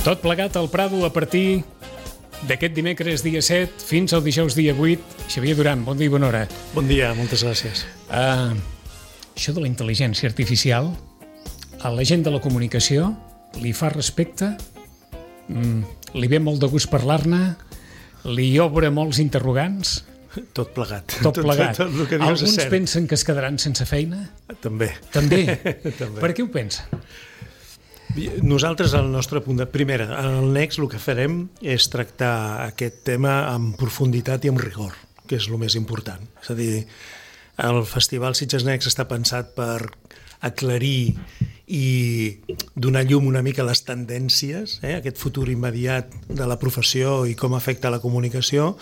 Tot plegat al Prado a partir d'aquest dimecres dia 7 fins al dijous dia 8. Xavier Duran, bon dia i bona hora. Bon dia, moltes gràcies. Això de la intel·ligència artificial a la gent de la comunicació li fa respecte, li ve molt de gust parlar-ne, li obre molts interrogants. Tot plegat. Tot plegat. Tot el que dius Alguns és cert. pensen que es quedaran sense feina? També. També? També. Per què ho pensen? Nosaltres, al nostre punt de... Primera, al Next el que farem és tractar aquest tema amb profunditat i amb rigor, que és el més important. És a dir, el Festival Sitges Next està pensat per aclarir i donar llum una mica a les tendències, aquest futur immediat de la professió i com afecta la comunicació.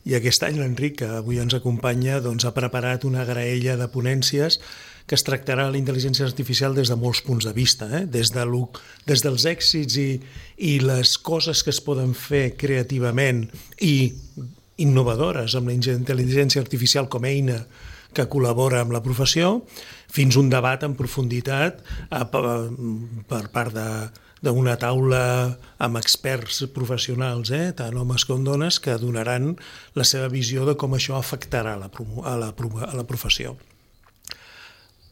I aquest any l'Enric, que avui ens acompanya, doncs, ha preparat una graella de ponències que es tractarà la intel·ligència artificial des de molts punts de vista, des dels èxits i les coses que es poden fer creativament i innovadores amb la intel·ligència artificial com a eina que col·labora amb la professió, fins a un debat en profunditat per part d'una taula amb experts professionals, tant homes com dones, que donaran la seva visió de com això afectarà a la professió.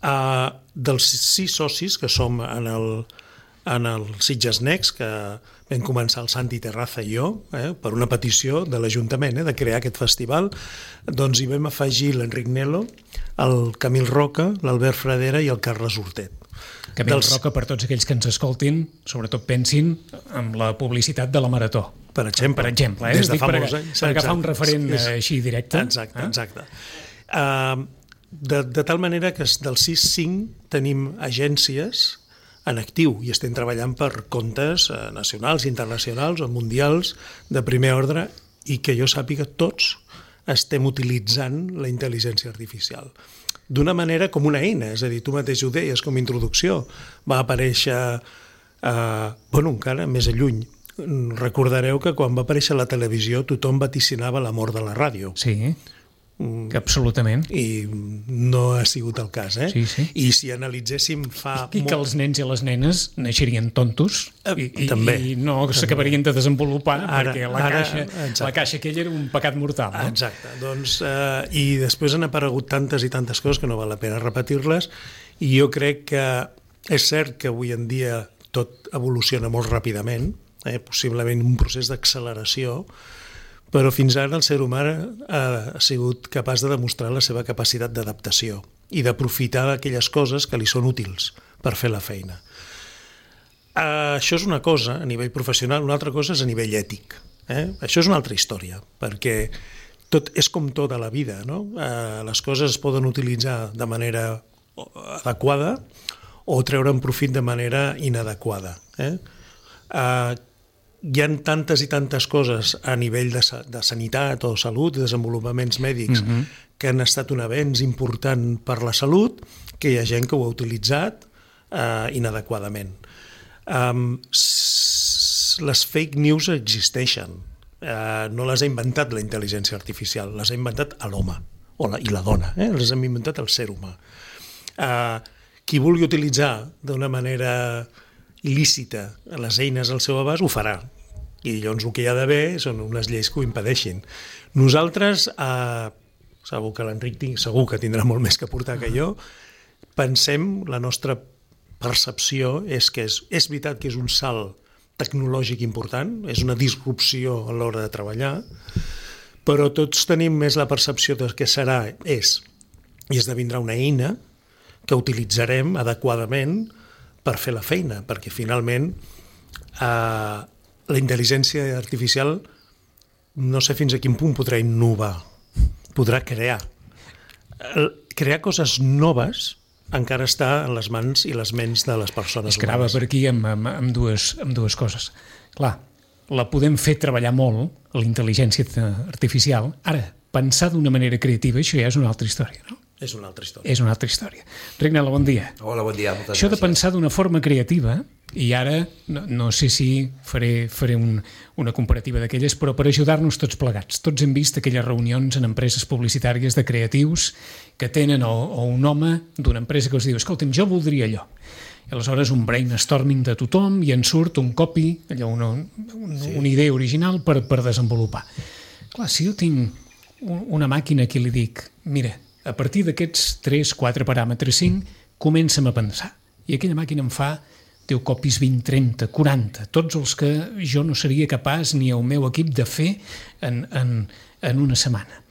Dels 6 socis que som en el Sitges Next, que vam començar el Santi Terraza i jo, per una petició de l'Ajuntament de crear aquest festival, doncs hi vam afegir l'Enric Nelo, el Camil Roca, l'Albert Fradera i el Carles Hortet. Camil Roca, per tots aquells que ens escoltin, sobretot pensin en la publicitat de la Marató. Per exemple. Des de fa molts anys. Per agafar un referent així directe. Exacte. De tal manera que dels 5 tenim agències en actiu i estem treballant per comptes nacionals, internacionals o mundials de primer ordre i que jo sàpiga tots estem utilitzant la intel·ligència artificial d'una manera com una eina, és a dir, tu mateix ho deies com a introducció, va aparèixer encara més lluny. Recordareu que quan va aparèixer la televisió tothom vaticinava la mort de la ràdio. Sí, absolutament. I no ha sigut el cas, Sí. I si analitzéssim I que els nens i les nenes naixerien tontos i no s'acabarien de desenvolupar perquè la caixa aquella era un pecat mortal. No? Exacte. Doncs, i després han aparegut tantes i tantes coses que no val la pena repetir-les i jo crec que és cert que avui en dia tot evoluciona molt ràpidament, possiblement un procés d'acceleració, però fins ara el ser humà ha sigut capaç de demostrar la seva capacitat d'adaptació i d'aprofitar aquelles coses que li són útils per fer la feina. Això és una cosa a nivell professional, una altra cosa és a nivell ètic. Això és una altra història, perquè tot és com tota la vida, no? Les coses es poden utilitzar de manera adequada o treure'n profit de manera inadequada. Hi ha tantes i tantes coses a nivell de sanitat o salut, desenvolupaments mèdics, que han estat un avenç important per la salut, que hi ha gent que ho ha utilitzat inadequadament. Les fake news existeixen. No les ha inventat la intel·ligència artificial, les ha inventat l'home i la dona, les ha inventat el ser humà. Qui vulgui utilitzar d'una manera il·lícita les eines al seu abast ho farà. I llavors el que hi ha d'haver són unes lleis que ho impedeixin. Nosaltres, segur que l'Enric segur que tindrà molt més que aportar que jo, pensem, la nostra percepció és que és veritat que és un salt tecnològic important, és una disrupció a l'hora de treballar, però tots tenim més la percepció de què i esdevindrà una eina que utilitzarem adequadament per fer la feina, perquè finalment la intel·ligència artificial no sé fins a quin punt podrà innovar, podrà crear. Crear coses noves encara està en les mans i les ments de les persones humanes. Es grava per aquí amb dues coses. Clar, la podem fer treballar molt, la intel·ligència artificial. Ara, pensar d'una manera creativa, això ja és una altra història, no? És una altra història. És una altra història. Rignela, bon dia. Hola, bon dia. Això de pensar d'una forma creativa, i ara no sé si faré una comparativa d'aquelles, però per ajudar-nos tots plegats. Tots hem vist aquelles reunions en empreses publicitàries de creatius que tenen o un home d'una empresa que us diu, escolta'm, jo voldria allò. i aleshores un brainstorming de tothom i en surt un copy, allò, una idea original per desenvolupar. Clar, si jo tinc una màquina que li dic, mira, a partir d'aquests 3, 4 paràmetres, 5, comença'm a pensar. I aquella màquina em fa 10 copies, 20, 30, 40, tots els que jo no seria capaç ni el meu equip de fer en una setmana.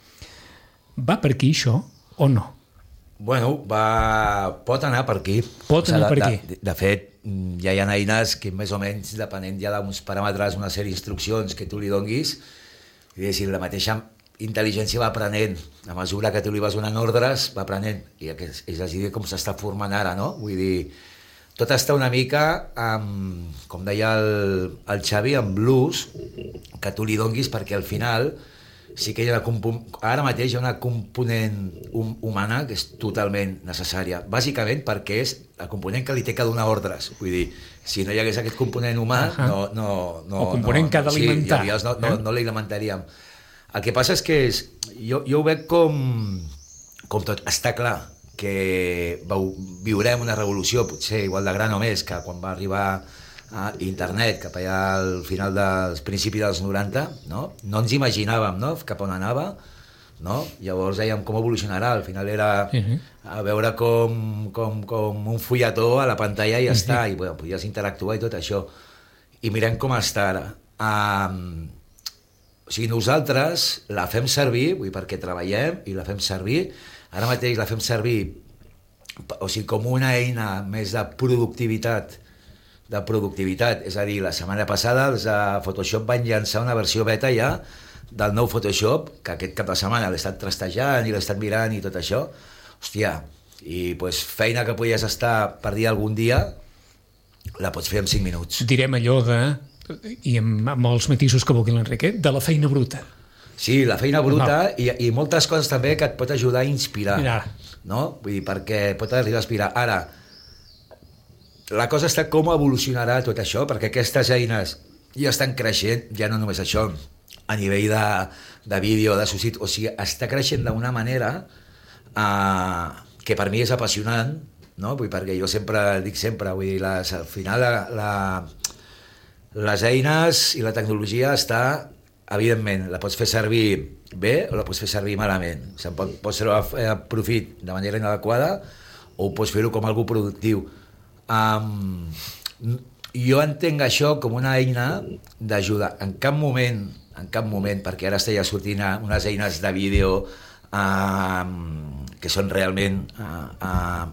Va per aquí això o no? Bueno, pot anar per aquí. Pot anar per aquí. De fet, ja hi ha eines que més o menys, depenent ja d'uns paràmetres, una sèrie d'instruccions que tu li donguis, diguéssim, la mateixa intel·ligència va aprenent. A mesura que tu li vas donant ordres, va aprenent. I és a dir, com s'està formant ara, no? Vull dir, tot està una mica, com deia el Xavi, amb l'ús que tu li donguis, perquè al final sí que hi ha ara mateix hi ha una component humana que és totalment necessària, bàsicament perquè és la component que li té que donar ordres. Vull dir, si no hi hagués aquest component humà, o component que ha d'alimentar. Sí, no l'alimentaríem. El que passa és que jo ho veig com tot. Està clar que viurem una revolució, potser igual de gran o més, que quan va arribar a internet, cap allà al final dels principis dels 90, no ens imaginàvem, no?, cap on anava, no? Llavors dèiem com evolucionarà, al final era a veure com un fulletó a la pantalla i ja està, i bueno, podies interactuar i tot això, i mirem com està ara. O sigui, nosaltres la fem servir, vull dir, perquè treballem i la fem servir, ara mateix la fem servir, o sigui, com una eina més de productivitat, és a dir, la setmana passada els de Photoshop van llançar una versió beta ja del nou Photoshop, que aquest cap de setmana l'he estat trastejant i l'he estat mirant i tot això, hòstia, i pues, feina que podies estar per dir algun dia, la pots fer en 5 minuts. Direm allò de, i amb els matisos que vulgui l'Enrique, de la feina bruta. Sí, la feina bruta i moltes coses també que et pot ajudar a inspirar, no? Vull dir, perquè pot arribar a inspirar. Ara, la cosa està com evolucionarà tot això, perquè aquestes eines ja estan creixent, ja no només això, a nivell de vídeo, de subsidi, o sigui, està creixent d'una manera que per mi és apassionant, no? Vull dir, perquè jo dic sempre, vull dir, al final les eines i la tecnologia està, evidentment, la pots fer servir bé o la pots fer servir malament. O sigui, pots fer profit de manera inadequada o pots fer-ho com algú productiu. Jo entenc això com una eina d'ajuda. En cap moment, perquè ara està ja sortint unes eines de vídeo que són realment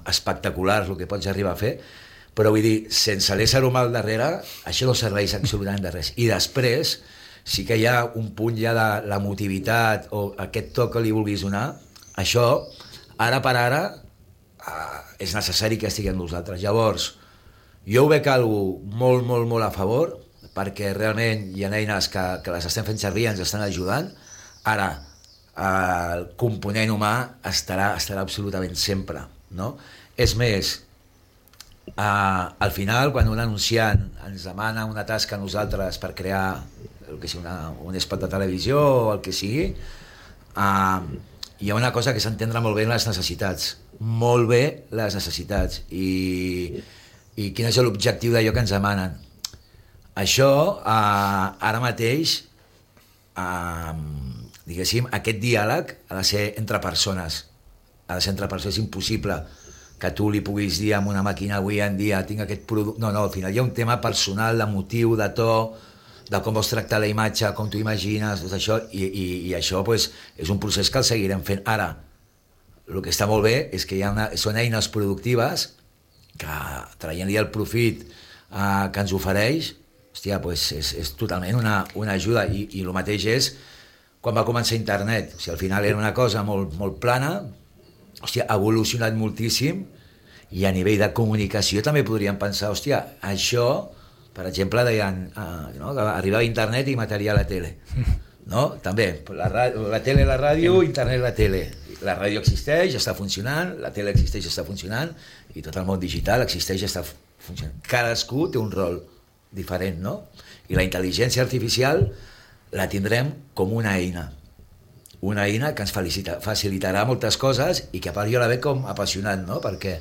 espectaculars el que pots arribar a fer, però vull dir, sense l'ésser humà al darrere, això no serveix absolutament de res. I després sí que hi ha un punt ja de l'emotivitat o aquest toc que li vulguis donar, això, ara per ara, és necessari que estigui amb nosaltres. Llavors, jo ho veig algo molt, molt, molt a favor, perquè realment hi ha eines que les estem fent servir i ens estan ajudant. Ara, el component humà estarà absolutament sempre, no? És més, al final, quan un anunciant ens demana una tasca a nosaltres per crear el que sigui un spot de televisió o el que sigui, hi ha una cosa que s'entendrà molt bé en les necessitats, molt bé les necessitats i quin és l'objectiu d'allò que ens demanen. Això, ara mateix, diguéssim, aquest diàleg ha de ser entre persones. És impossible que tu li puguis dir a una màquina avui en dia tinc aquest producte. No, al final hi ha un tema personal, de motiu, de to, de com vols tractar la imatge, com t'ho imagines, tot això, i això pues, és un procés que el seguirem fent. Ara, el que està molt bé és que són eines productives que, traient-li el profit que ens ofereix, hòstia, pues és totalment una ajuda. I el mateix és quan va començar internet. O sigui, al final era una cosa molt, molt plana, hòstia, ha evolucionat moltíssim, i a nivell de comunicació també podríem pensar, hòstia, això, per exemple, deien, no, que arribava internet i mataria la tele. No? També, la tele, la ràdio, internet, la tele. La ràdio existeix, està funcionant, la tele existeix, està funcionant, i tot el món digital existeix, està funcionant. Cadascú té un rol diferent, no? I la intel·ligència artificial la tindrem com una eina que ens facilitarà moltes coses i que a part jo la veig com apassionant, no? Perquè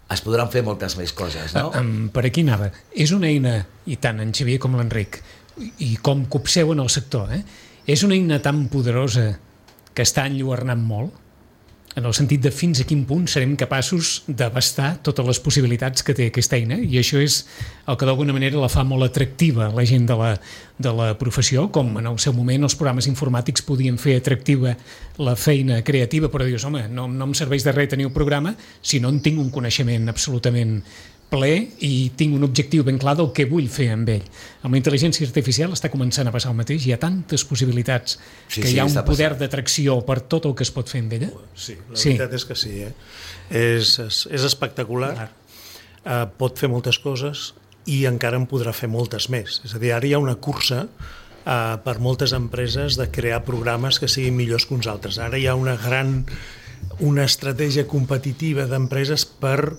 es podran fer moltes més coses, no? Per aquí anava. És una eina, i tant en Xavier com l'Enric, i com copseu en el sector, és una eina tan poderosa que està enlluernant molt, en el sentit de fins a quin punt serem capaços d'abastar totes les possibilitats que té aquesta eina, i això és el que d'alguna manera la fa molt atractiva a la gent de la professió, com en el seu moment els programes informàtics podien fer atractiva la feina creativa, però dius, home, no em serveix de res tenir un programa si no en tinc un coneixement absolutament ple i tinc un objectiu ben clar del que vull fer amb ell. Amb la intel·ligència artificial està començant a passar el mateix, hi ha tantes possibilitats que hi ha un poder d'atracció per tot el que es pot fer amb ella. Sí, la veritat és que sí. És espectacular, pot fer moltes coses i encara en podrà fer moltes més. És a dir, ara hi ha una cursa per moltes empreses de crear programes que siguin millors que uns altres. Ara hi ha una estratègia competitiva d'empreses per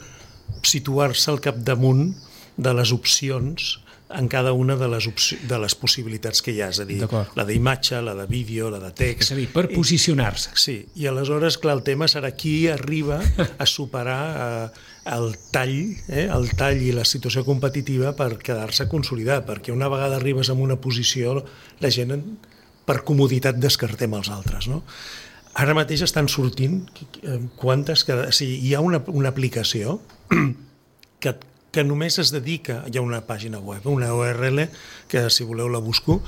situar-se al capdamunt de les opcions en cada una de les possibilitats que hi ha, és a dir, la d'imatge, la de vídeo, la de text. És a dir, per posicionar-se. Sí, i aleshores, clar, el tema serà qui arriba a superar el tall i la situació competitiva per quedar-se consolidat, perquè una vegada arribes en una posició, la gent, per comoditat, descartem els altres, no? Ara mateix estan sortint hi ha una aplicació que només es dedica, hi ha una pàgina web, una URL, que si voleu la busco,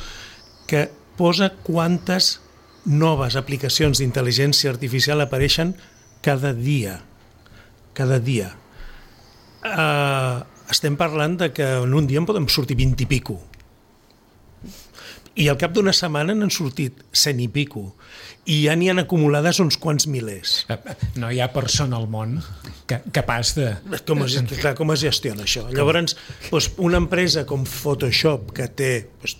que posa quantes noves aplicacions d'intel·ligència artificial apareixen cada dia. Cada dia. Estem parlant de que en un dia en podem sortir 20 i pico. I al cap d'una setmana n'han sortit 100 i pico. I ja n'hi han acumulades uns quants milers. No hi ha persona al món capaç de... Com es gestiona això? Llavors, una empresa com Photoshop, que té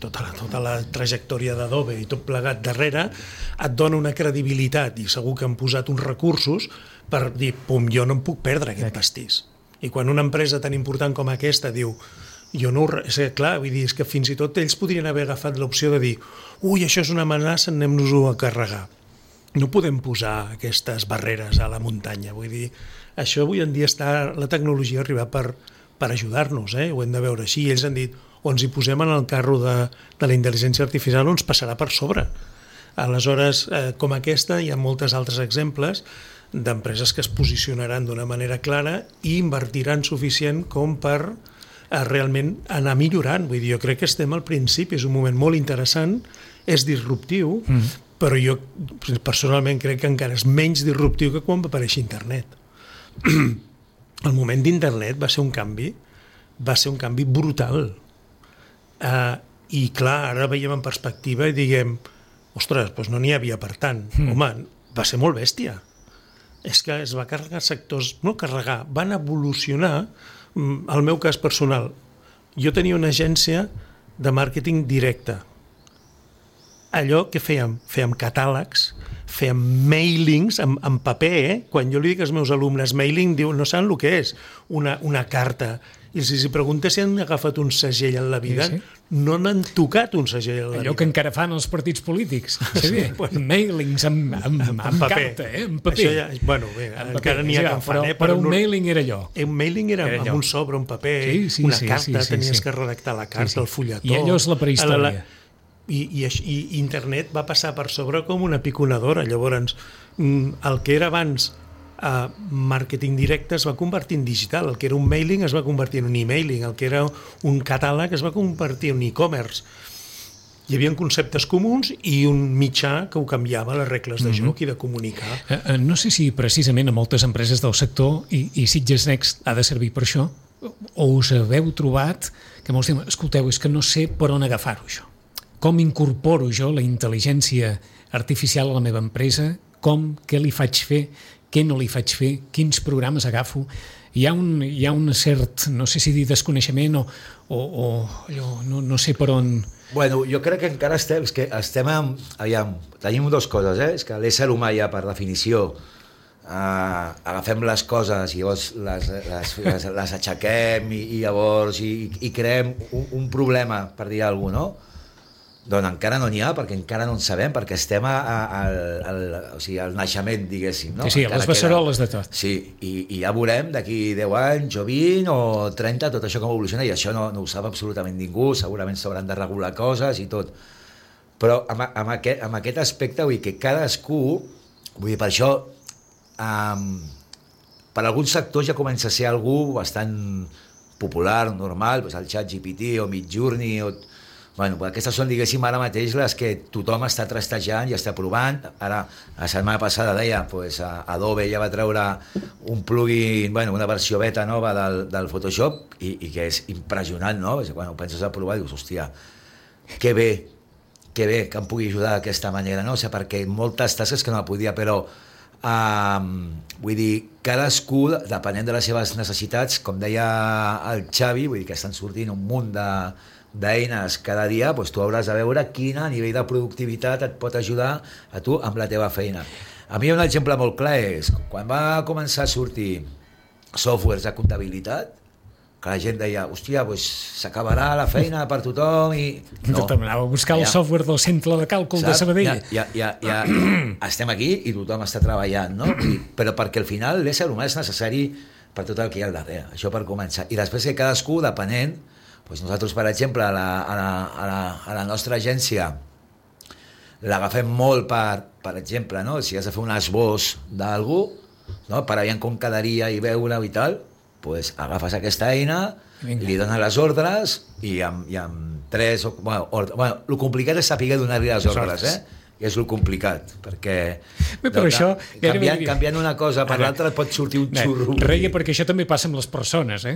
tota la trajectòria d'Adobe i tot plegat darrere, et dona una credibilitat i segur que han posat uns recursos per dir, pum, jo no em puc perdre aquest pastís. I quan una empresa tan important com aquesta diu, jo no és clar, vull dir, és que fins i tot ells podrien haver agafat l'opció de dir ui, això és una amenaça, anem-nos-ho a carregar. No podem posar aquestes barreres a la muntanya, vull dir, això avui en dia la tecnologia arriba per ajudar-nos, ho hem de veure així, i ells han dit, o ens hi posem en el carro de la intel·ligència artificial o ens passarà per sobre. Aleshores, com aquesta, hi ha moltes altres exemples d'empreses que es posicionaran d'una manera clara i invertiran suficient com per realment anar millorant. Vull dir, jo crec que estem al principi, és un moment molt interessant, és disruptiu, però jo personalment crec que encara és menys disruptiu que quan va aparèixer internet. El moment d'internet va ser un canvi brutal. I clar, ara veiem en perspectiva i diguem, ostres, doncs no n'hi havia per tant. Home, va ser molt bèstia. És que es va carregar sectors, no carregar, van evolucionar. El meu cas personal, jo tenia una agència de màrqueting directe. Allò que fèiem catàlegs, fèiem mailings en paper, quan jo li dic als meus alumnes mailing, diu, no saben el que és, una carta. I si preguntes si han agafat un segell en la vida, no n'han tocat un segell en la vida. Allò que encara fan els partits polítics. Mailings amb carta, en paper. Encara n'hi ha que en fan. Però un mailing era allò. Un mailing era amb un sobre, un paper, una carta, tenies que redactar la carta, el fulletó. I allò és la prehistòria. I internet va passar per sobre com una piconadora. Llavors, el que era abans màrqueting directe es va convertir en digital, el que era un mailing es va convertir en un e-mailing, el que era un catàleg es va convertir en e-commerce. Hi havia conceptes comuns i un mitjà que ho canviava, les regles de joc i de comunicar. No sé si precisament a moltes empreses del sector, i Sitges Next ha de servir per això, o us haveu trobat que molts diuen, escolteu, és que no sé per on agafar-ho això. Com incorporo jo la intel·ligència artificial a la meva empresa? Què li faig fer? Què no li faig fer? Quins programes agafo? Hi ha un cert, no sé si dir desconeixement o allò, no sé per on... Bueno, jo crec que encara estem aviam, tenim dues coses, és que l'ésser humà ja per definició agafem les coses i llavors les aixequem i llavors i creem un problema, per dir alguna cosa, no? Doncs encara no n'hi ha, perquè encara no en sabem, perquè estem al naixement, diguéssim. No? Sí, a les beceroles de tot. Sí, i ja veurem d'aquí 10 anys o 20 o 30 tot això com evoluciona, i això no ho sap absolutament ningú, segurament s'hauran de regular coses i tot. Però amb aquest aspecte, vull dir que cadascú, vull dir, per això, per alguns sectors ja comença a ser algú bastant popular, normal, doncs el ChatGPT o Midjourney o... Bueno, aquestes són, diguéssim, ara mateix les que tothom està trastejant i està provant. Ara, la setmana passada deia, pues, Adobe ja va treure un plugin, bueno, una versió beta nova del Photoshop i que és impressionant, no? Quan ho penses a provar dius, hòstia, que bé que em pugui ajudar d'aquesta manera, no? O sigui, perquè moltes tasques que no la podia, però vull dir, cadascú, depenent de les seves necessitats, com deia el Xavi, vull dir que estan sortint un munt d'eines cada dia, doncs tu hauràs de veure quina nivell de productivitat et pot ajudar a tu amb la teva feina. A mi un exemple molt clar és quan va començar a sortir softwares de comptabilitat, que la gent deia, hòstia, doncs s'acabarà la feina per tothom i... No, anava a buscar el software del centre de càlcul de Sabadell. Ja estem aquí i tothom està treballant, no? Però perquè al final l'ésser humà és necessari per tot el que hi ha al darrere, això per començar. I després que cadascú, depenent, doncs nosaltres, per exemple, a la nostra agència l'agafem molt per exemple, no? Si has de fer un esbós d'algú, no? Per aviam com quedaria i veure-ho i tal, doncs agafes aquesta eina, li dones les ordres i amb 3 o... Bueno, el complicat és saber donar-li les ordres, I és el complicat, perquè però això, canviant una cosa per l'altra pot sortir un xurro. Reia, perquè això també passa amb les persones,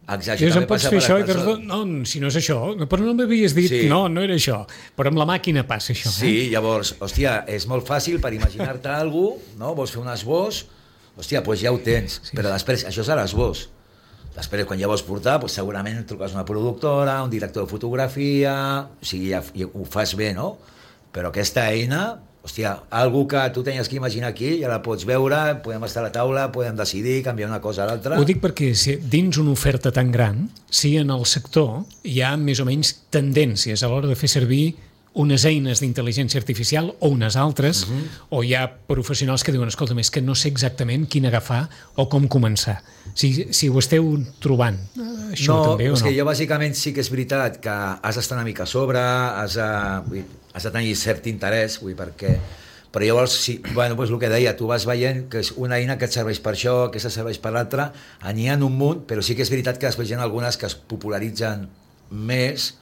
Exacte, em pots fer això i no, si no és això, però no m'havies dit, no era això, però amb la màquina passa això. Sí, llavors, hòstia, és molt fàcil per imaginar-te alguna cosa, no? Vols fer un esbós, hòstia, doncs ja ho tens, però després, això és l'esbós. Després, quan ja vols portar, doncs segurament truques una productora, un director de fotografia, o sigui, ja ho fas bé, no? Però aquesta eina, hòstia, algú que tu tenies que imaginar aquí, ja la pots veure, podem estar a la taula, podem decidir, canviar una cosa a l'altra. Ho dic perquè dins una oferta tan gran, si en el sector hi ha més o menys tendències a l'hora de fer servir unes eines d'intel·ligència artificial o unes altres, o hi ha professionals que diuen, escolta, és que no sé exactament quin agafar o com començar. Si ho esteu trobant, això també o no? No, és que jo bàsicament sí que és veritat que has d'estar una mica a sobre, has de tenir cert interès, però llavors, doncs el que deia, tu vas veient que és una eina que et serveix per això, que aquesta serveix per l'altra, n'hi ha un munt, però sí que és veritat que després hi ha algunes que es popularitzen més,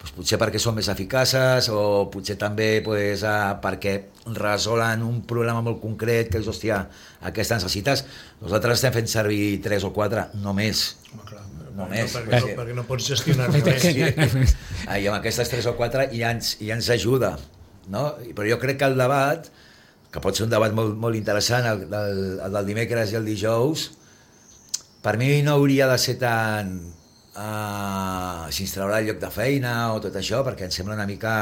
potser perquè són més eficaces o potser també perquè resolen un problema molt concret que és, hòstia, aquesta necessites. Nosaltres estem fent servir 3 o 4, no més. No, perquè no pots gestionar-ne més. I amb aquestes 3 o 4 ja ens ajuda, no? Però jo crec que el debat, que pot ser un debat molt, molt interessant, el del dimecres i el dijous, per mi no hauria de ser tan... si ens traurà el lloc de feina o tot això, perquè em sembla una mica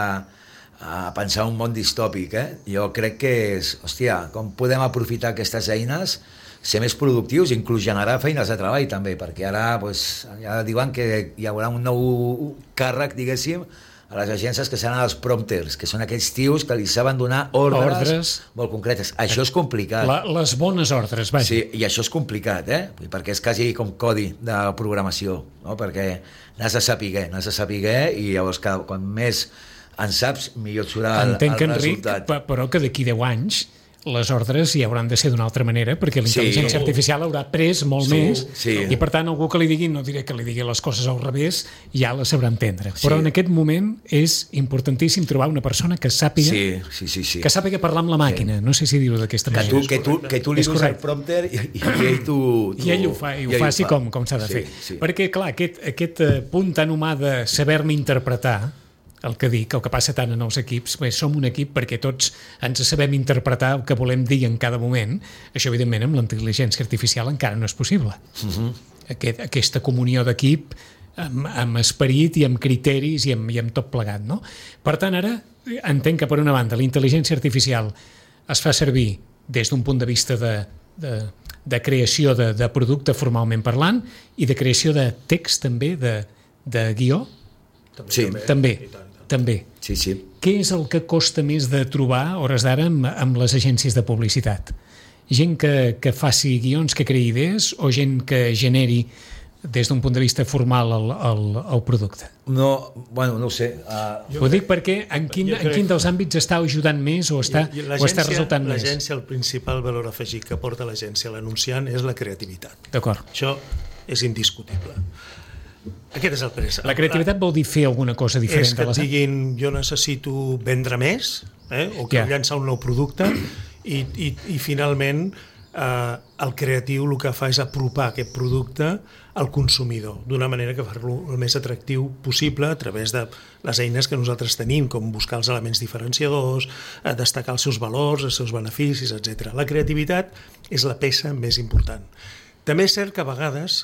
pensar un món distòpic. Jo crec que és, hòstia, com podem aprofitar aquestes eines, ser més productius, inclús generar feines de treball també, perquè ara ja diuen que hi haurà un nou càrrec, diguéssim, a les agències, que seran els prompters, que són aquells tios que li saben donar ordres molt concretes. Això és complicat. Les bones ordres, vaja. Sí, i això és complicat, perquè és quasi com codi de programació, no? Perquè n'has de saber i llavors quan més en saps, millor et serà el resultat. Entenc, però que d'aquí 10 anys les ordres ja hauran de ser d'una altra manera, perquè la intel·ligència artificial haurà pres molt més, i per tant algú que li digui, no diré que li digui les coses al revés, ja les sabrà entendre. Però en aquest moment és importantíssim trobar una persona que sàpiga que sàpiga parlar amb la màquina, no sé si dir-ho d'aquesta manera. Que tu li dones el prompter i ell ho faci com s'ha de fer. Perquè, clar, aquest punt tan humà de saber-me interpretar, el que dic, el que passa tant en els equips, som un equip perquè tots ens sabem interpretar el que volem dir en cada moment. Això, evidentment, amb la intel·ligència artificial encara no és possible. Aquesta comunió d'equip amb esperit i amb criteris i amb tot plegat, no? Per tant, ara entenc que, per una banda, la intel·ligència artificial es fa servir des d'un punt de vista de creació de producte formalment parlant i de creació de text també, de guió. Sí, també. també. Sí, sí. Què és el que costa més de trobar, a hores d'ara, amb les agències de publicitat? Gent que faci guions, que creï idees, o gent que generi des d'un punt de vista formal el producte? No, bueno, no ho sé. Ho dic perquè en quin dels àmbits està ajudant més o està resultant més? L'agència, el principal valor afegit que porta l'agència a l'anunciant és la creativitat. D'acord. Això és indiscutible. Aquest és el pres. La creativitat vol dir fer alguna cosa diferent. És que et diguin, jo necessito vendre més, o que llançar un nou producte, i finalment el creatiu el que fa és apropar aquest producte al consumidor d'una manera que fa-lo el més atractiu possible a través de les eines que nosaltres tenim, com buscar els elements diferenciadors, destacar els seus valors, els seus beneficis, etc. La creativitat és la peça més important. També és cert que a vegades,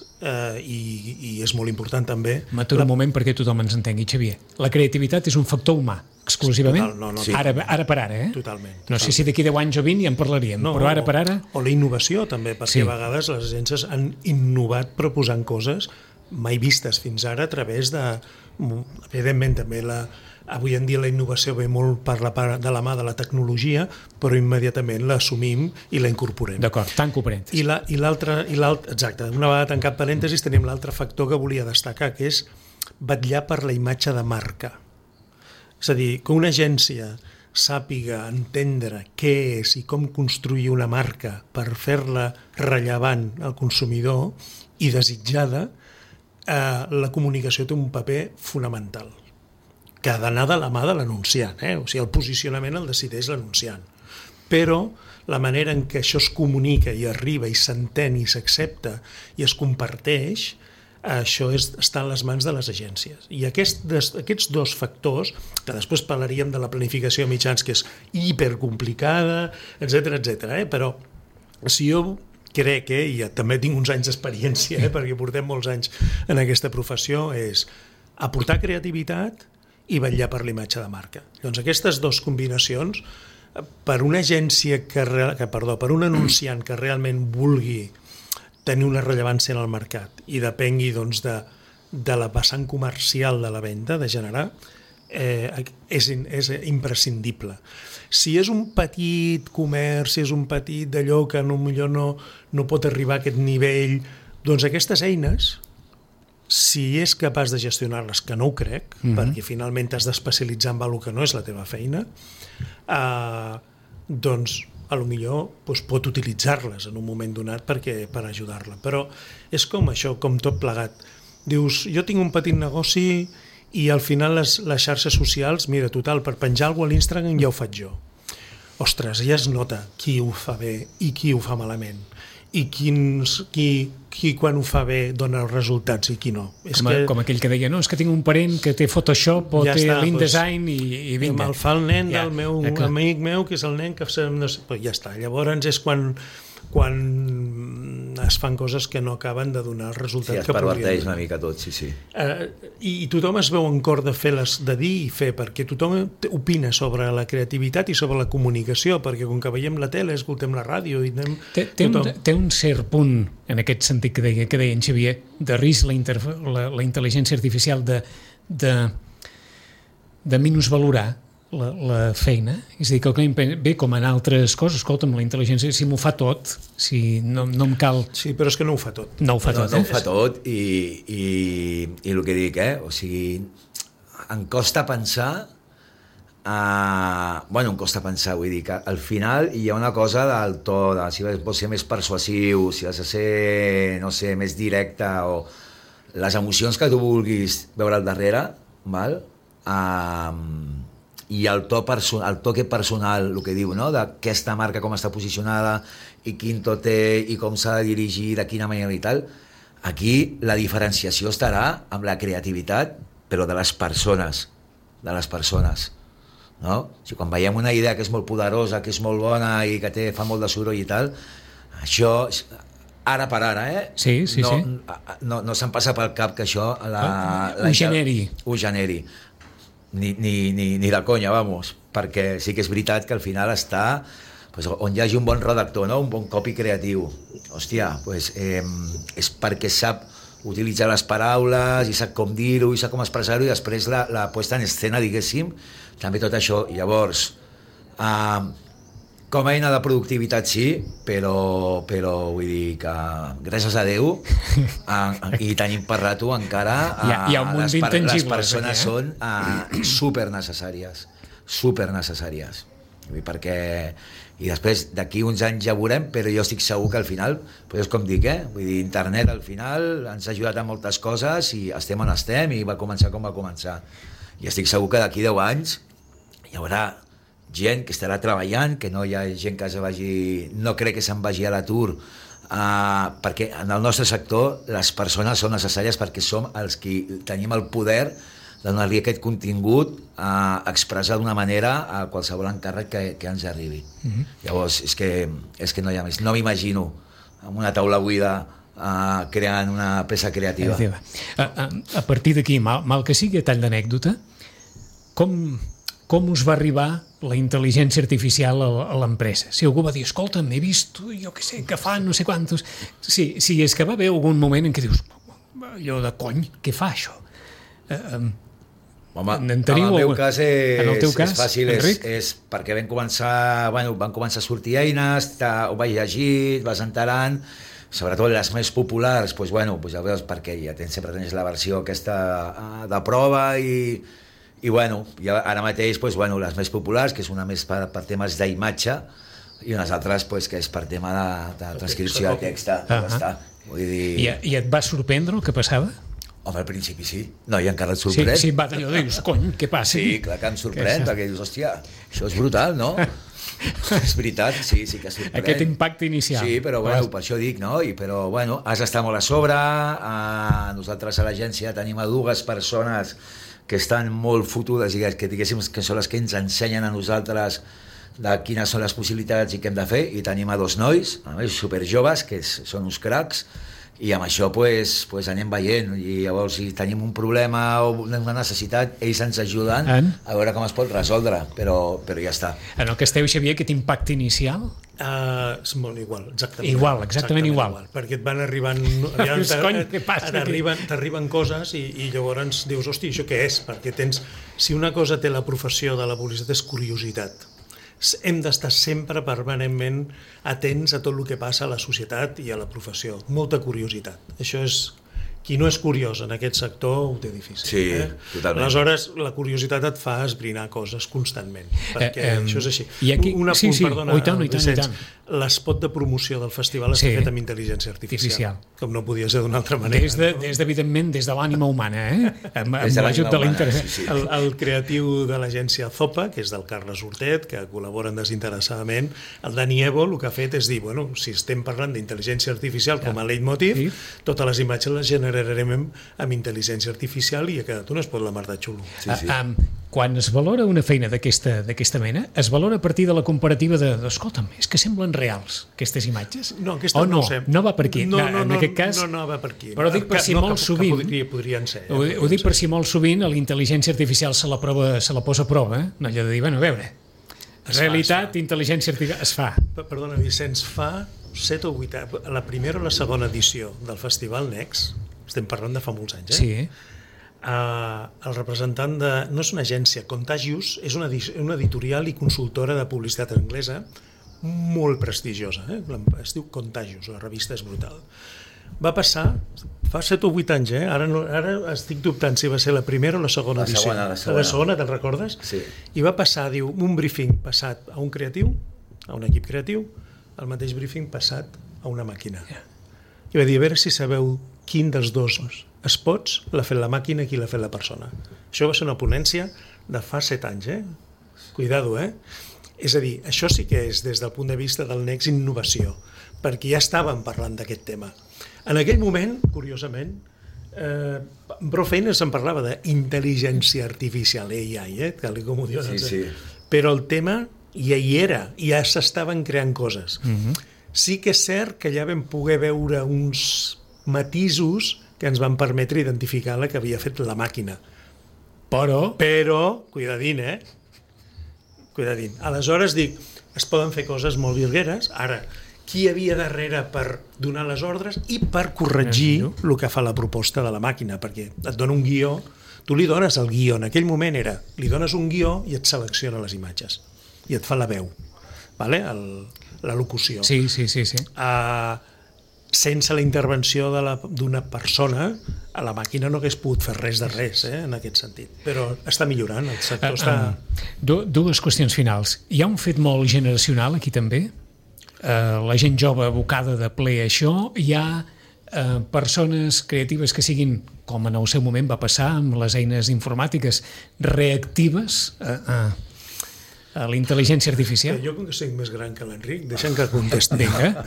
i és molt important també... M'aturo un moment perquè tothom ens entengui, Xavier. La creativitat és un factor humà, exclusivament? No, sí. Ara per ara, Totalment. No sé si d'aquí 10 anys o 20 ja en parlaríem, però ara per ara... O la innovació també, perquè a vegades les agències han innovat proposant coses mai vistes fins ara a través de... Evidentment també avui en dia la innovació ve molt per la part de la mà de la tecnologia, però immediatament l'assumim i la incorporem. D'acord, tanco parèntesis. Exacte, una vegada tancat parèntesis tenim l'altre factor que volia destacar, que és vetllar per la imatge de marca. És a dir, que una agència sàpiga entendre què és i com construir una marca per fer-la rellevant al consumidor i desitjada, la comunicació té un paper fonamental, que ha d'anar de la mà de l'anunciant, O sigui, el posicionament el decideix l'anunciant. Però la manera en què això es comunica i arriba i s'entén i s'accepta i es comparteix, això està en les mans de les agències. I aquests dos factors, que després parlaríem de la planificació de mitjans, que és hipercomplicada, etc., però si jo crec, i també tinc uns anys d'experiència, perquè portem molts anys en aquesta professió, és aportar creativitat i vetllar per la imatge de marca. Doncs aquestes dues combinacions, per una agència per un anunciant que realment vulgui tenir una rellevància en el mercat i depengui doncs, de la vessant comercial de la venda, de generar, és imprescindible. Si és un petit comerç, si és un petit d'allò que potser no pot arribar a aquest nivell, doncs aquestes eines, si és capaç de gestionar-les, que no ho crec, perquè finalment t'has d'especialitzar en alguna que no és la teva feina, doncs potser pot utilitzar-les en un moment donat per ajudar-la. Però és com això, com tot plegat. Dius, jo tinc un petit negoci i al final les xarxes socials, mira, total, per penjar alguna cosa a l'Instagram ja ho faig jo. Ostres, ja es nota qui ho fa bé i qui ho fa malament. I qui quan ho fa bé dona els resultats i qui no. Com aquell que deia, no, és que tinc un parent que té Photoshop o té l'InDesign i vinga. Me'l fa el nen del meu amic meu, que és el nen que... Ja està, llavors és quan es fan coses que no acaben de donar el resultat que podrien. Sí, es perverteix una mica tot, sí. I tothom es veu en cor de dir i fer, perquè tothom opina sobre la creativitat i sobre la comunicació, perquè com que veiem la tele, escoltem la ràdio... Té un cert punt, en aquest sentit que deia en Xavier, de risc la intel·ligència artificial de minusvalorar la feina, és a dir, que el client ve com en altres coses, escolta'm, la intel·ligència, si m'ho fa tot, si no em cal... Sí, però és que no ho fa tot. No ho fa tot, No ho fa tot i el que dic, o sigui, em costa pensar, em costa pensar, vull dir que al final hi ha una cosa del to, si vols ser més persuasiu, si has de ser, no sé, més directe, o les emocions que tu vulguis veure al darrere, val? I el toque personal, el que diu, no? D'aquesta marca, com està posicionada i quin to té i com s'ha de dirigir, de quina manera i tal. Aquí la diferenciació estarà amb la creativitat, però de les persones, no? Si quan veiem una idea que és molt poderosa, que és molt bona i que fa molt de soroll i tal, això ara per ara, Sí. No se'm passa pel cap que això ho generi. Ni de conya, vamos, perquè sí que és veritat que al final està on hi hagi un bon redactor, no? Un bon copy creatiu. Hòstia, és perquè sap utilitza les paraules, i sap com dir-ho, i sap com expressar-ho, i després la puesta en escena, diguéssim, també tot això. Llavors, com a eina de productivitat sí, però vull dir que gràcies a Déu i tenim per rato encara hi ha un munt d'intangibles, les persones són super necessàries perquè i després d'aquí uns anys ja veurem, però jo estic segur que al final, pues és com dic, vull dir, internet al final ens ha ajudat a moltes coses i estem on estem i va començar com va començar, i estic segur que d'aquí 10 anys hi haurà gent que estarà treballant, que no hi ha gent que se vagi, no crec que se'n vagi a l'atur, perquè en el nostre sector les persones són necessàries perquè som els que tenim el poder de donar-li aquest contingut a expressar d'una manera a qualsevol encàrrec que ens arribi. Llavors, és que no hi ha més. No m'imagino amb una taula buida creant una peça creativa. A partir d'aquí, mal que sigui a tall d'anècdota, com us va arribar la intel·ligència artificial a l'empresa? Si algú va dir, escolta'm, he vist, jo què sé, que fa no sé quantos... Sí, és que va haver algun moment en què dius, allò de cony, què fa això? Home, en el meu cas és fàcil, és perquè van començar a sortir eines, ho vaig llegir, vas enterant, sobretot les més populars, ja veus, perquè sempre tens la versió aquesta de prova i ara mateix les més populars, que és una més per temes d'imatge i unes altres que és per tema de transcripció de text. I et va sorprendre el que passava? Home, al principi sí. No, i encara et sorprèn. Sí, va d'allò, dius, cony, què passa? Sí, clar que em sorprèn, perquè dius, hòstia, això és brutal, no? És veritat, sí que sorprèn. Aquest impacte inicial. Sí, però per això dic, no? Però has d'estar molt a sobre. Nosaltres a l'agència tenim 2 persones que estan molt fotudes i que diguéssim que són les que ens ensenyen a nosaltres de quines són les possibilitats i què hem de fer, i tenim 2 nois, superjoves, que són uns cracs, i amb això anem veient, i llavors si tenim un problema o una necessitat, ells ens ajuden a veure com es pot resoldre, però ja està. En el que esteu, Xavier, aquest impacte inicial? És molt igual, exactament igual. Perquè et van arribant... T'arriben coses i llavors dius, hosti, això què és? Perquè si una cosa té la professió de la publicitat és curiositat. Hem d'estar sempre permanentment atents a tot el que passa a la societat i a la professió. Molta curiositat. Això és... Qui no és curiós en aquest sector ho té difícil. Sí, totalment. Aleshores, la curiositat et fa esbrinar coses constantment, perquè això és així. Un apunt, perdona, Vicenç, l'espot de promoció del festival està fet amb intel·ligència artificial, com no podia ser d'una altra manera. Evidentment, des de l'ànima humana, amb l'ajut de l'internet. El creatiu de l'agència Zopa, que és del Carles Hortet, que col·laboren desinteressadament, el Dani Evo el que ha fet és dir, si estem parlant d'intel·ligència artificial com a leitmotiv, totes les imatges les generarem amb intel·ligència artificial i ha quedat un espot la mar de xulo. Quan es valora una feina d'aquesta mena, es valora a partir de la comparativa escolta'm, és que semblen reals aquestes imatges? No, aquesta no sé. No va per aquí. En aquest cas, no va per aquí. Però dic per si molt sovint... Podrien ser. Ho dic per si molt sovint la intel·ligència artificial se la posa a prova, no allò de dir, a veure, realitat, intel·ligència artificial, es fa. Perdona, Vicenç, fa 7 o 8 anys, la primera o la segona edició del Festival Next, estem parlant de fa molts anys, Sí. El representant no és una agència, Contagious, és una editorial i consultora de publicitat anglesa molt prestigiosa, es diu Contagious, la revista és brutal. Va passar, fa 7 o 8 anys, ara estic dubtant si va ser la primera o la segona edició. La segona, te'n recordes? Sí. I va passar, diu, un briefing passat a un creatiu, a un equip creatiu, el mateix briefing passat a una màquina. I va dir, a veure si sabeu quin dels 2 spots l'ha fet la màquina i qui l'ha fet la persona. Això va ser una ponència de fa 7 anys, Cuidado, És a dir, això sí que és, des del punt de vista del Next, innovació, perquè ja estàvem parlant d'aquest tema. En aquell moment, curiosament, prou feines se'n parlava d'intel·ligència artificial, AI, tal com ho diuen. Sí. Però el tema ja hi era, ja s'estaven creant coses. Sí que és cert que ja vam poder veure uns matisos que ens van permetre identificar la que havia fet la màquina. Però cuidadín, Cuidadín. Aleshores dic, es poden fer coses molt virgueres, ara, qui hi havia darrere per donar les ordres i per corregir el que fa la proposta de la màquina, perquè et dona un guió, tu li dones el guió, en aquell moment li dones un guió i et selecciona les imatges i et fa la veu, vale? La locució. Sí. Sense la intervenció d'una persona, a la màquina no hagués pogut fer res de res, en aquest sentit. Però està millorant, el sector està... Dues qüestions finals. Hi ha un fet molt generacional aquí també? La gent jove abocada de ple a això, hi ha persones creatives que siguin, com en el seu moment va passar amb les eines informàtiques, reactives a la intel·ligència artificial? Jo, com que soc més gran que l'Enric, deixa'm que contesti. Vinga.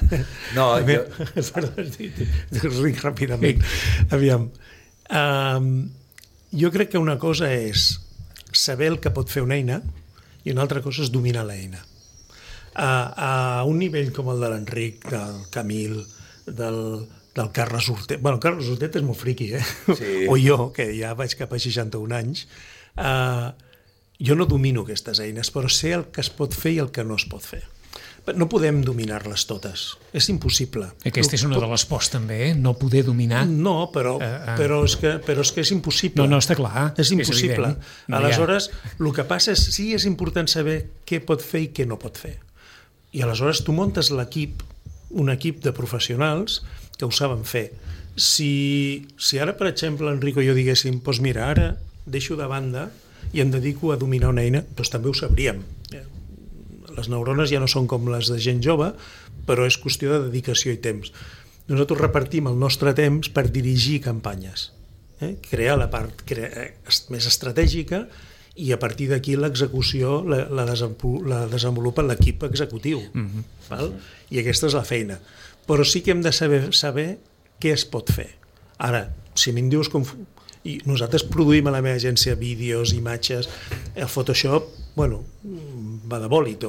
No, Enric, ràpidament. Aviam. Jo crec que una cosa és saber el que pot fer una eina i una altra cosa és dominar l'eina. A un nivell com el de l'Enric, del Camil, del Carles Hortet. Bueno, el Carles Hortet és molt friqui, Sí. O jo, que ja vaig cap a 61 anys. Jo no domino aquestes eines, però sé el que es pot fer i el que no es pot fer. No podem dominar-les totes, és impossible. Aquesta és una de les pors també, no poder dominar. No, però és que és impossible. No, està clar. És impossible. No, aleshores, el que passa és sí és important saber què pot fer i què no pot fer. I aleshores tu muntes l'equip, un equip de professionals que ho saben fer. Si ara, per exemple, Enric o jo diguéssim, doncs mira, ara deixo de banda i em dedico a dominar una eina, doncs també ho sabríem. Les neurones ja no són com les de gent jove, però és qüestió de dedicació i temps. Nosaltres repartim el nostre temps per dirigir campanyes, crear la part més estratègica i a partir d'aquí l'execució la desenvolupa l'equip executiu. Val? I aquesta és la feina. Però sí que hem de saber què es pot fer. Ara, si me'n dius com... I nosaltres produïm a la meva agència vídeos, imatges, el Photoshop, bueno, va de bòlit,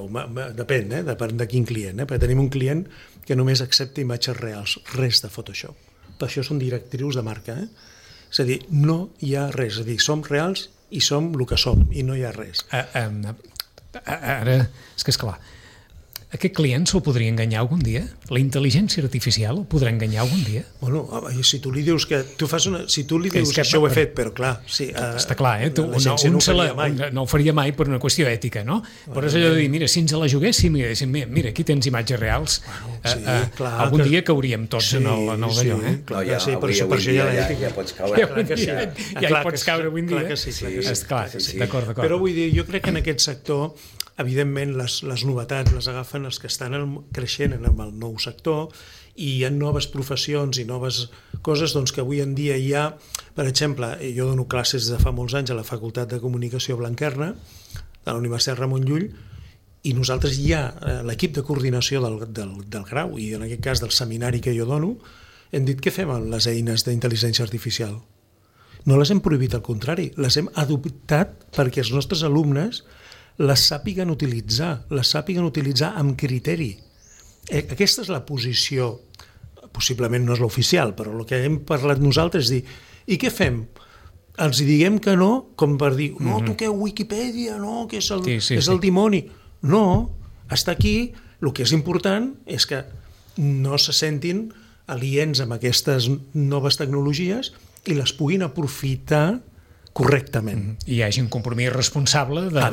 depèn de quin client, perquè tenim un client que només accepta imatges reals, res de Photoshop. Per això són directrius de marca. És a dir, no hi ha res, és a dir, som reals i som el que som, i no hi ha res. Ara, és que esclar, aquest client se'l podria enganyar algun dia? La intel·ligència artificial el podrà enganyar algun dia? Bueno, si tu li dius que... Si tu li dius que això ho he fet, però clar... Sí, està clar, no ho faria mai per una qüestió ètica, no? Però és allò de dir, mira, si ens la juguéssim i diguéssim, mira, aquí tens imatges reals, algun dia cauríem tots en el d'allò, Clar, sí, per això hi ha l'ètica. Ja pots caure. Ja hi pots caure avui dia. Clar que sí. D'acord. Però vull dir, jo crec que en aquest sector evidentment les novetats les agafen els que estan creixent en el nou sector i hi ha noves professions i noves coses doncs, que avui en dia hi ha, per exemple, jo dono classes de fa molts anys a la Facultat de Comunicació Blanquerna de la Universitat Ramon Llull i nosaltres hi ha l'equip de coordinació del grau i en aquest cas del seminari que jo dono, hem dit què fem amb les eines d'intel·ligència artificial? No les hem prohibit, al contrari, les hem adoptat perquè els nostres alumnes les sàpiguen utilitzar amb criteri. Aquesta és la posició, possiblement no és l'oficial, però el que hem parlat nosaltres és dir, i què fem? Els diguem que no, com per dir, no, tu què, Wikipedia, no, que és el dimoni. No, està aquí, el que és important és que no se sentin aliens amb aquestes noves tecnologies i les puguin aprofitar correctament. I hi hagi un compromís responsable del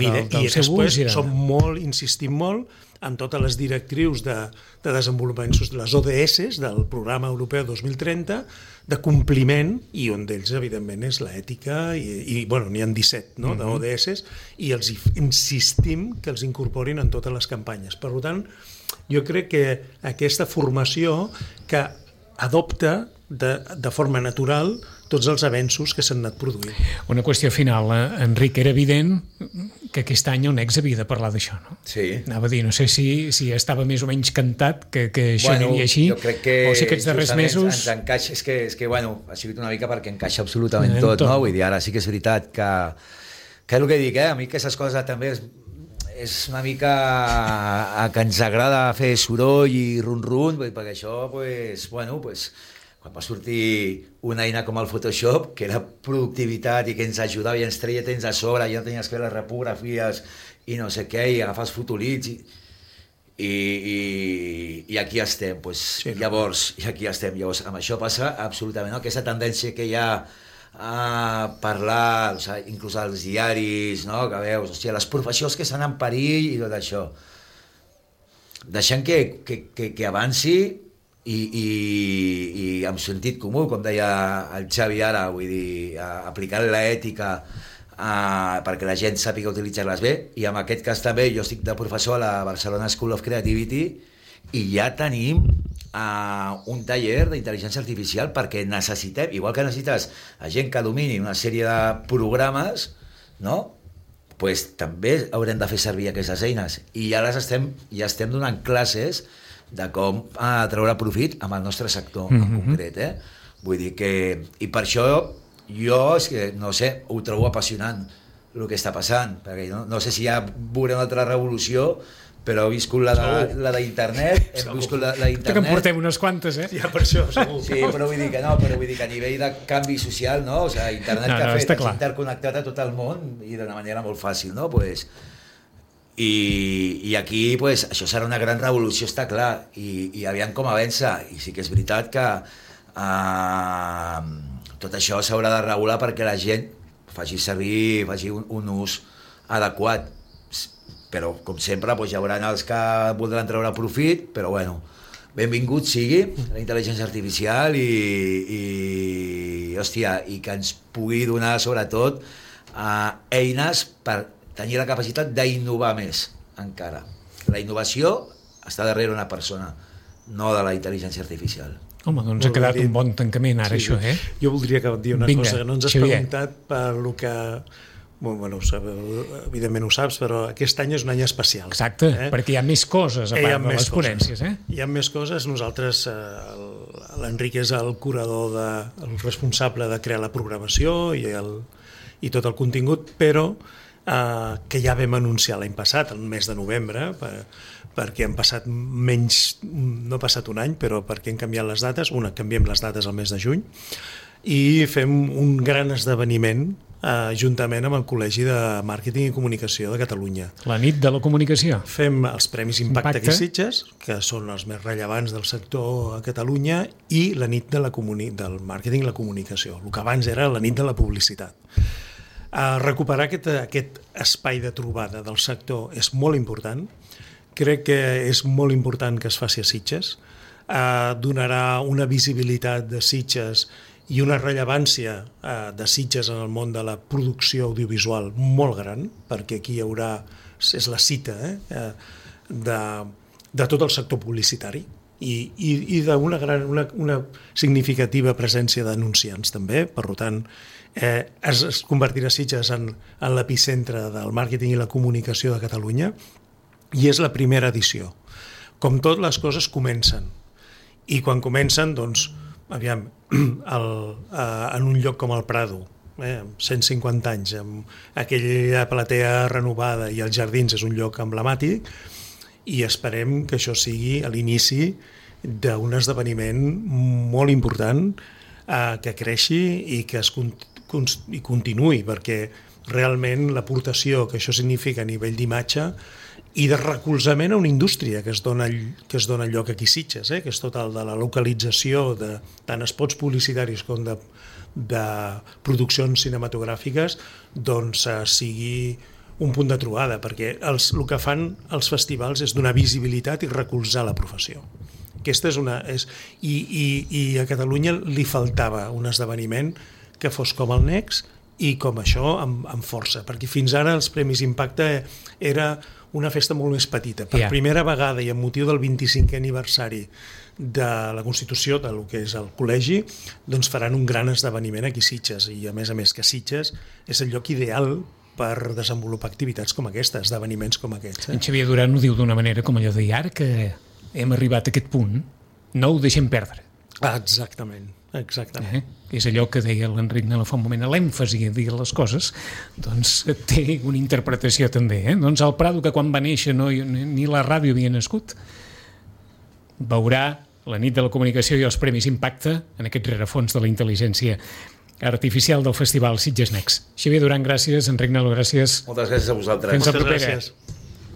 seu ús. I després insistim molt en totes les directrius de desenvolupament, les ODS del Programa Europeu 2030, de compliment, i un d'ells, evidentment, és l'ètica, i bueno, n'hi ha 17 d'ODS, i els insistim que els incorporin en totes les campanyes. Per tant, jo crec que aquesta formació que adopta de forma natural tots els avenços que s'han anat produint. Una qüestió final, Enric, era evident que aquest any el Nex havia de parlar d'això, no? Sí. Anava a dir, no sé si estava més o menys cantat que això aniria així, jo crec que o si aquests darrers mesos... Ens encaixa, és que bueno, ha sigut una mica perquè encaixa absolutament tot, no? Vull dir, ara sí que és veritat que és el que dic, a mi aquestes coses també és una mica que ens agrada fer soroll i run-run, perquè això, quan va sortir una eina com el Photoshop, que era productivitat i que ens ajudava i ens treia temps a sobre, i no tenies que fer les repografies i no sé què, i agafar els fotolits I aquí estem, pues, sí, llavors amb això passa absolutament, no? Aquesta tendència que hi ha a parlar, o sigui, inclús als diaris, no? Que veus, hòstia, les professions que estan en perill i tot això, deixant que avanci i amb sentit comú, com deia el Xavi ara, vull dir, aplicant l'ètica perquè la gent sàpiga utilitzar-les bé, i en aquest cas també jo estic de professor a la Barcelona School of Creativity i ja tenim un taller d'intel·ligència artificial perquè necessitem, igual que necessites gent que domini una sèrie de programes, no? Pues també haurem de fer servir aquestes eines i ja estem donant classes de com treure profit amb el nostre sector en concret, vull dir que, i per això jo, és que, no sé, ho trobo apassionant el que està passant, perquè no sé si ja veurem una altra revolució, però he viscut la d'internet, hem viscut la d'internet. Que en portem unes quantes, Ja, per això, segur. Sí, però vull dir que no, però vull dir que a nivell de canvi social, no? O sigui, internet que ha fet, és interconnectat a tot el món i d'una manera molt fàcil, no? Pues, i aquí, pues, això serà una gran revolució, està clar, i aviam com avança, i sí que és veritat que tot això s'haurà de regular perquè la gent faci un ús adequat, però com sempre hi haurà els que voldran treure profit, però bueno, benvingut sigui la intel·ligència artificial i que ens pugui donar sobretot eines per tenir la capacitat d'innovar més encara. La innovació està darrere una persona, no de la intel·ligència artificial. Home, doncs ha quedat un bon tancament ara, això, Jo voldria dir una cosa, que no ens has preguntat per lo que... Bueno, evidentment ho saps, però aquest any és un any especial. Exacte, perquè hi ha més coses a part de les ponències. Hi ha més coses. Nosaltres, l'Enric és el curador, el responsable de crear la programació i tot el contingut, però que ja vam anunciar l'any passat, el mes de novembre, perquè han passat no ha passat un any, però perquè han canviat les dates. Canviem les dates al mes de juny, i fem un gran esdeveniment juntament amb el Col·legi de Màrqueting i Comunicació de Catalunya. La nit de la comunicació. Fem els Premis Impacte aquí a Sitges, que són els més rellevants del sector a Catalunya, i la nit del Màrqueting i la Comunicació, el que abans era la nit de la publicitat. Recuperar aquest espai de trobada del sector és molt important. Crec que és molt important que es faci a Sitges. Donarà una visibilitat de Sitges i una rellevància de Sitges en el món de la producció audiovisual molt gran, perquè aquí hi haurà, és la cita de tot el sector publicitari i d'una significativa presència d'anunciants també. Per tant, es convertirà Sitges en l'epicentre del màrqueting i la comunicació de Catalunya, i és la primera edició. Com tot, les coses comencen, i quan comencen, doncs, aviam, en un lloc com el Prado, 150 anys, amb aquella platea renovada i els jardins, és un lloc emblemàtic, i esperem que això sigui l'inici d'un esdeveniment molt important que creixi i que i continuï, perquè realment l'aportació que això significa a nivell d'imatge i de recolzament a una indústria que es dona lloc aquí a Sitges, que és tot el de la localització de tant spots publicitaris com de produccions cinematogràfiques, doncs sigui un punt de trobada, perquè el que fan els festivals és donar visibilitat i recolzar la professió. Aquesta i a Catalunya li faltava un esdeveniment que fos com el Next i com això amb força, perquè fins ara els Premis Impacte era una festa molt més petita. Per primera vegada i amb motiu del 25è aniversari de la Constitució, del que és el col·legi, doncs faran un gran esdeveniment aquí a Sitges, i a més que Sitges és el lloc ideal per desenvolupar activitats com aquesta, esdeveniments com aquests. En Xavier Duran ho diu d'una manera com allò de ara, que hem arribat a aquest punt, no ho deixem perdre. Exactament. És allò que deia l'Enric Nela fa un moment, l'èmfasi a dir les coses, doncs té una interpretació també. Doncs el Prado, que quan va néixer ni la ràdio havia nascut, veurà la nit de la comunicació i els Premis Impacte en aquest rerefons de la intel·ligència artificial del Festival Sitges Next. Xavier Duran, gràcies. Enric Nela, gràcies. Moltes gràcies a vosaltres. Fins la propera. Gràcies.